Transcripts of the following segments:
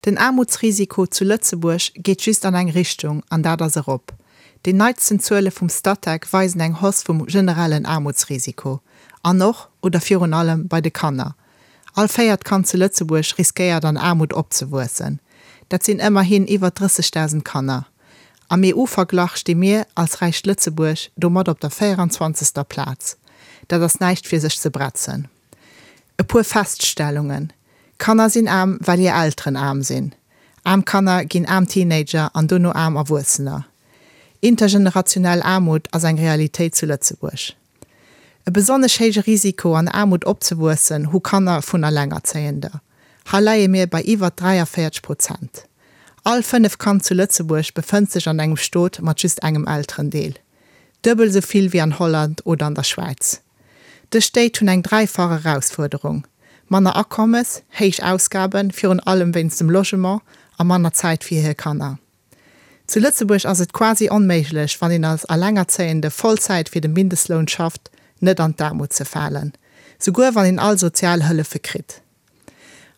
Den Aarmutsrisiko zu Lëtzebuerg geet just an eng Richtung, an dat ass erop. Déi neitsten Zuele vum Statec weisen eng Hausse vum generellen Aarmutsrisiko. An och, oder virun allem, bei de Kanner. All véiert Kand zu Lëtzebuerg riskéiert an Aarmut opzewuessen. Dat sinn ëmmerhin iwwer 30.000 Kanner. Am EU-Verglach sti mir, als räicht Lëtzebuerg, domat op der 24. Plaz. Dat ass näischt fir sech ze bretzen. E puer Feststellungen, Kanner sinn aarm, well hir Elteren aarm sinn. Aarm Kanner ginn aarm Teenager an dono aarm Erwuessener. Intergenerationell Aarmut ass eng Realitéit zu Lëtzebuerg. E besonnesch héije Risiko an Aarmut opzewuessen hu Kanner vun Allengerzéiender. Hei leie mir bei iwwer 43 Prozent. All fënnef Kand zu Lëtzebuerg befënnt sech an engem Stot mat just engem Elterendeel. Duebel esou vill wéi an Holland oder an der Schwäiz. Dës Stéit hunn eng dräifach Erausfuerderung, manner Akommes, héich Ausgaben, virun allem wéinst dem Logement, a manner Zäit fir hir Kanner. Zu Lëtzebuerg ass et quasi onméiglech, wann een als Allengerzéiende Vollzäit fir de Mindestloun schafft, net an d'Aarmut ze falen, souguer wann een all Sozialhëllefe kritt.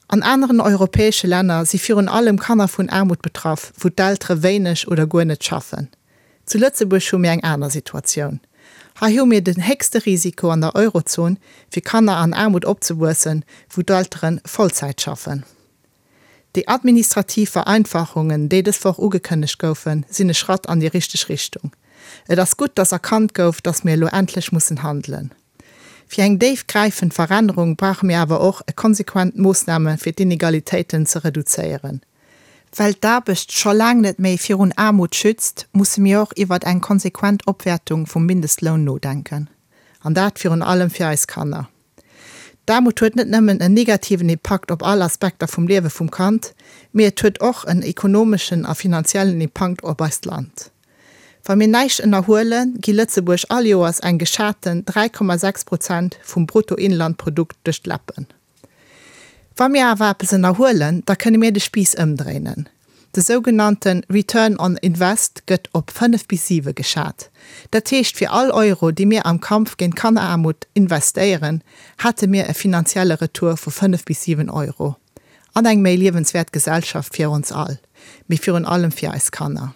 An aneren europäesche Länner si virun allem Kanner vun Aarmut betraff, wou d'Eltere wéineg oder guer net schaffen. Zu Lëtzebuerg hu mir eng aner Situatioun. Hei hu mir den héchste Risiko an der Eurozon, fir Kanner an Aarmut opzewuessen, wou d'Eltere Vollzäit schaffen. Déi administrativ Vereinfachungen, déi dës Woch ugekënnegt goufen, sinn e Schratt an déi richteg Richtung. Et ass gutt, dass erkannt gouf, dass mir elo endlech mussen handelen. Fir eng déif gräifend Verännerung brauche mir awer och e konsequent Moossname fir d'Inegalitéiten ze reduzéieren. Well d'Aarbecht scho laang net méi virun Aarmut schützt, musse mir och iwwert eng konsequent Opwäertung vum Mindestloun nodenken. An dat virun allem fir eis Kanner. D'Aarmut huet net nëmmen en negativen Impakt op all Aspekter vum Liewe vum Kand, mee et huet och en ekonomeschen a finanziellen Impankt op eist Land. Wa mir näischt ënnerhuelen, gi Lëtzebuerg all Joers eng geschaten 3,6 Prozent vum Bruttoinlandprodukt duerch d'Läppen. Wa mir awer eppes ënnerhuelen, da kënne mir de Spiiss ëmdréinen. De sougenannte Return on Invest gëtt op 5 bis 7 geschat. Dat heescht, fir all Euro, dee mir am Kampf géint Kanneraarmut investéieren, hätte mir e finanzielle Retour vu 5 bis 7 Euro. An eng méi liewenswäert Gesellschaft fir ons all, mee virun allem fir eis Kanner.